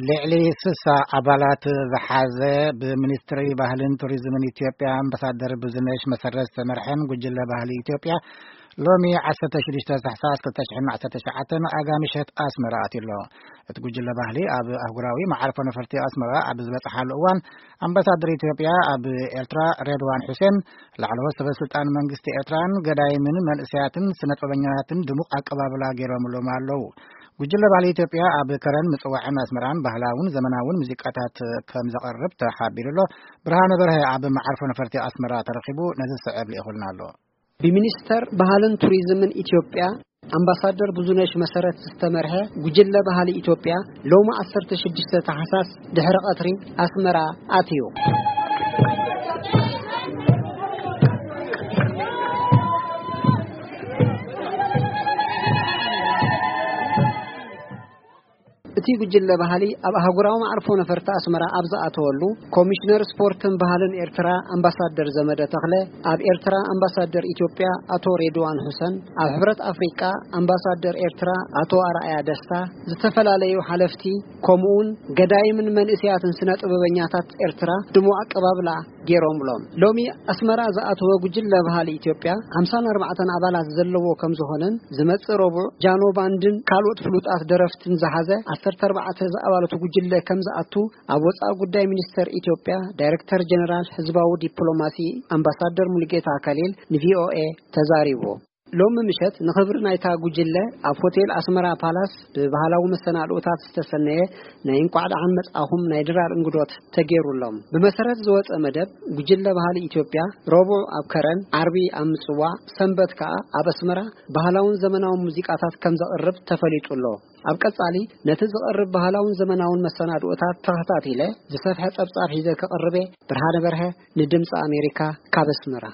ልዕሊ ስሳ ኣባላት ዝሓዘ ብሚኒስትሪ ባህልን ቱሪዝምን ኢትዮጵያ ኣምባሳደር ብዙነሽ መሰረት ዝተመርሐን ጉጅለ ባህሊ ኢትዮጵያ ሎሚ ዓሰርተ ሽዱሽተ ታሕሳስ ክልተ ሽሕን ዓሰርተ ትሽዓተን ኣጋ ምሸት ኣስመራ ኣትዩ ኣሎ። እቲ ጉጅለ ባህሊ ኣብ ኣህጉራዊ መዓርፎ ነፈርቲ ኣስመራ ኣብ ዝበጽሓሉ እዋን ኣምባሳደር ኢትዮጵያ ኣብ ኤርትራ ሬድዋን ሑሴን፣ ላዕለዎት ሰበ ስልጣን መንግስቲ ኤርትራን ገዳይምን መንእሰያትን ስነጥበበኛታትን ድሙቕ ኣቀባብላ ገይሮምሎም ኣለዉ። ጉጅለ ባህሊ ኢትዮጵያ ኣብ ከረን ምጽዋዕን ኣስመራን ባህላውን ዘመናውን ሙዚቃታት ከም ዘቐርብ ተሓቢሩ ኣሎ። ብርሃነ በርሀ ኣብ መዓርፎ ነፈርቲ ኣስመራ ተረኺቡ ነዚ ዝስዕብ ልኢኹልና ኣሎ። ብሚኒስተር ባህልን ቱሪዝምን ኢትዮጵያ ኣምባሳደር ብዙነሽ መሰረት ዝተመርሐ ጉጅለ ባህሊ ኢትዮጵያ ሎሚ ዓሰርተ ሽዱሽተ ታሕሳስ ድሕሪ ቀትሪ ኣስመራ ኣትዩ። እቲ ጉጅለ ባህሊ ኣብ ኣህጉራዊ መዓርፎ ነፈርቲ ኣስመራ ኣብ ዝኣተወሉ፣ ኮሚሽነር ስፖርትን ባህልን ኤርትራ ኣምባሳደር ዘመደ ተኽለ፣ ኣብ ኤርትራ ኣምባሳደር ኢትዮጵያ ኣቶ ሬድዋን ሁሰን፣ ኣብ ሕብረት ኣፍሪቃ ኣምባሳደር ኤርትራ ኣቶ ኣርኣያ ደስታ፣ ዝተፈላለዩ ሓለፍቲ፣ ከምኡውን ገዳይምን መንእሰያትን ስነ ጥበበኛታት ኤርትራ ድሙቕ ኣቀባብላ ገይሮምሎም። ሎሚ ኣስመራ ዝኣተወ ጉጅለ ባህሊ ኢትዮጵያ ሓምሳን ኣርባዕተን ኣባላት ዘለዎ ከም ዝኾነን፣ ዝመጽእ ረቡዕ ጃኖ ባንድን ካልኦት ፍሉጣት ደረፍትን ዝሓዘ ዓሰርተ ኣርባዕተ ዝኣባላቱ ጉጅለ ከም ዝኣቱ ኣብ ወጻኢ ጉዳይ ሚኒስተር ኢትዮጵያ ዳይረክተር ጀነራል ህዝባዊ ዲፕሎማሲ ኣምባሳደር ሙሉጌታ ከሊል ንቪኦኤ ተዛሪቡ። ሎሚ ምሸት ንኽብሪ ናይታ ጉጅለ ኣብ ሆቴል ኣስመራ ፓላስ ብባህላዊ መሰናድኦታት ዝተሰነየ ናይ እንቋዕ ደሓን መጻኹም ናይ ድራር እንግዶት ተገይሩሎም። ብመሰረት ዝወጸ መደብ፣ ጉጅለ ባህሊ ኢትዮጵያ ረቡዕ ኣብ ከረን፣ ዓርቢ ኣብ ምጽዋዕ፣ ሰንበት ከኣ ኣብ ኣስመራ ባህላውን ዘመናውን ሙዚቃታት ከም ዘቕርብ ተፈሊጡ ኣሎ። ኣብ ቀጻሊ ነቲ ዝቐርብ ባህላውን ዘመናውን መሰናድኦታት ተኸታቲለ ዝሰፍሐ ጸብጻብ ሒዘ ክቕርብ እየ። ብርሃነ በርሀ ንድምጺ ኣሜሪካ ካብ ኣስመራ።